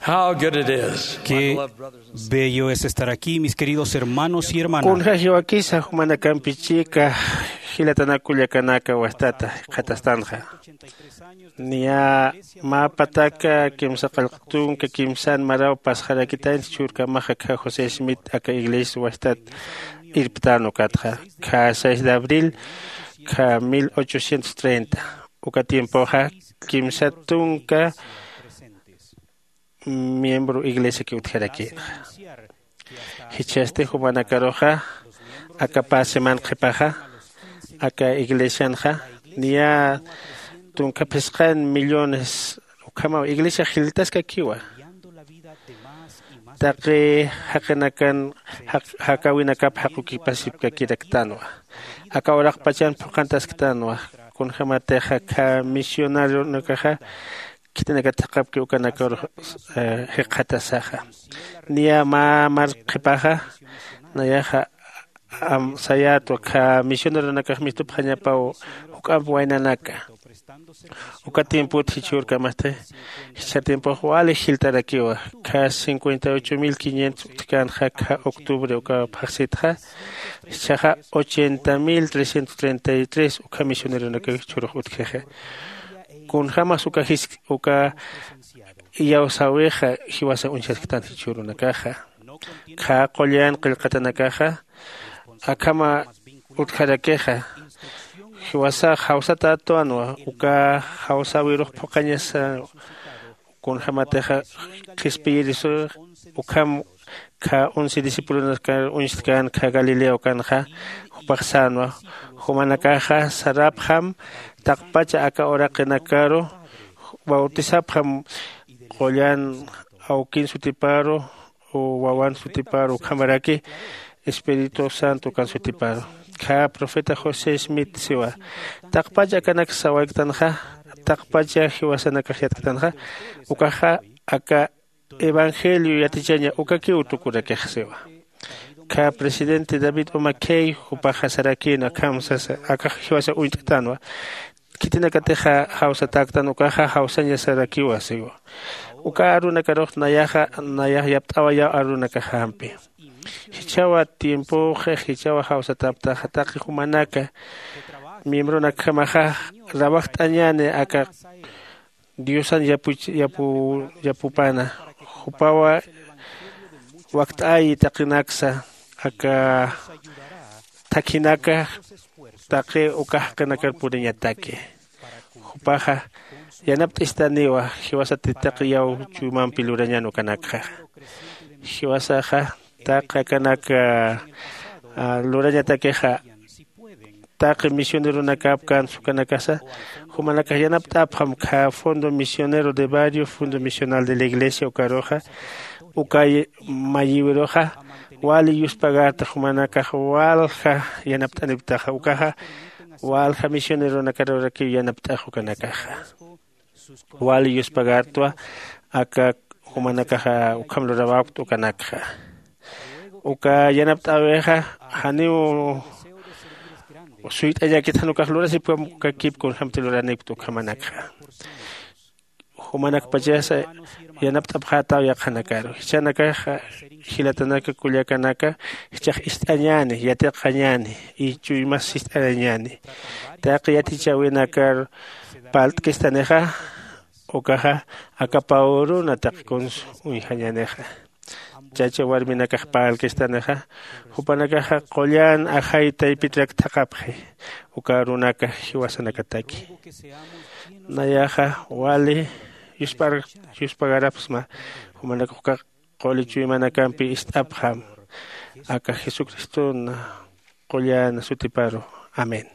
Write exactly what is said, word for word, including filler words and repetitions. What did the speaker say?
How good it is. Qué bello es estar aquí, mis queridos hermanos y hermanas. Kunja jiwakisa jumanakampi chika jilatanakullakanaka wastata qhatastanxa. Niya mä pataka kimsa qallqtunka kimsan maraw pasxarakitaynti churkamaxa kha José Smith aka iglesia wastat irptan ukatxa. Kha seis de abril kha mil ochocientos treinta uka tiempoxa kimsa tunka miembro iglesiaki utjarakïnxa. Jichhasti jumanakaruxa aka pä seman qhipaxa aka iglesianxa niya tunka phisqan millones ukhamaw iglesia jiltaskakiwa. Taqi jaqinakan jaqawinakap jaqukipasipkakiraktanwa. Aka uraqpachan phuqantasktanwa. Kunjämatixa kha misionarionakaxa khitinakat thaqhapki ukanakaru jikxatasaxa. Niya mä mar qhipaxa nayaxa sayätwa kha misioneronakax mistupxañapaw juk'amp waynanaka. Uka tiempot jichhürkamasti jichha tiempox wali jiltarakiwa. Kha cincuenta y ocho mil quinientos utjkänxa kha octubre uka phaxsitxa. Jichhaxa ochenta mil trescientos treinta y tres ukha misioneronakax jichhürux utjixa. Kunjämas uka jisk uka iyawsäwixa jiwasa uñjasktan jichhürunakaxa. Kha qullan qillqatanakaxa akhama utjarakixa. Jiwasax jawsatätwanwa uka jawsäwirux phuqhañasa. Kunjämatixa qhispiyirisux ukham kha once discipulonakar uñstkän kha galilea ukanxa jupax sänwa. Jumanakaxa sarapxam taqpacha aka uraqinakaru bautisapxam qullan awkin sutiparu wawan sutiparu ukhamaraki espíritu santo ukan sutiparu. Kha profeta josé smith siwa taqpacha akanak sawayktanxa taqpacha jiwasanakax yatktanxa ukaxa aka evangelio yatichaña ukakiw tukurakix siwa. Kha presidente david umakhey jupaxa sarakïna akham sasa akax jiwasa uñt'tanwa. Khitinakatixa jawsatäktan ukaxa jawsaña sarakiwa siwa. Uka arunakarux nayaxa nayax yapt'awayaw arunakaxampi. Jichhawa tiempoxix jichhawa jawsatäptaxa taqi jumanaka miembronakjamaxa rawajt'añäni aka diosan yapuch yapu yapupana jupawa wakt'ayi taqinaksa aka thakhinaka taqi uka jaqinakar puriñataki. Jupaxa yanapt'istaniwa jiwasati taqi yaw chuymampi lurañan ukanakxa. Jiwasaxa taqi akanak lurañatakixa taqi misioneronakap kän sukanakasa jumanakax yanapt'apxam kha fondo misionero de barrio fondo misional de la iglesia ukaruxa uka mayiwiruxa wali yuspagarta jumanakax walja yanapt'aniptaxa ukaxa walja misioneronakarakiw yanapt'ax ukanakaxa. Wali yuspagartwa aka jumanakaxa ukham lurawäkta ukanakxa. Uka yanapt'äwixa janiw suyt'añäkit jan ukax lurasipkam ukakip kunjämti luranipkta ukhamanakxa. Jumanakpachasa yanapt'apxätaw yaqhanakaru jichhanakaxa jilatanaka kullakanaka jichhax ist'añäni yatiqañäni y chuymas sist'arañäni. Taqi yatichäwinakar parlt'kistanixa ukaxa aka pä uruna taqi kunsa uñjañänixa. Chacha warminakax parlkistanixa jupanakaxa qullan ajay taypitrak thaqhapxi uka arunaka jiwasanakataki. Nayaxa wali yuspagarapxsma jumanakax uka quli chuymanakampi ist'apxam aka jesucriston qullan sutiparu. Amén.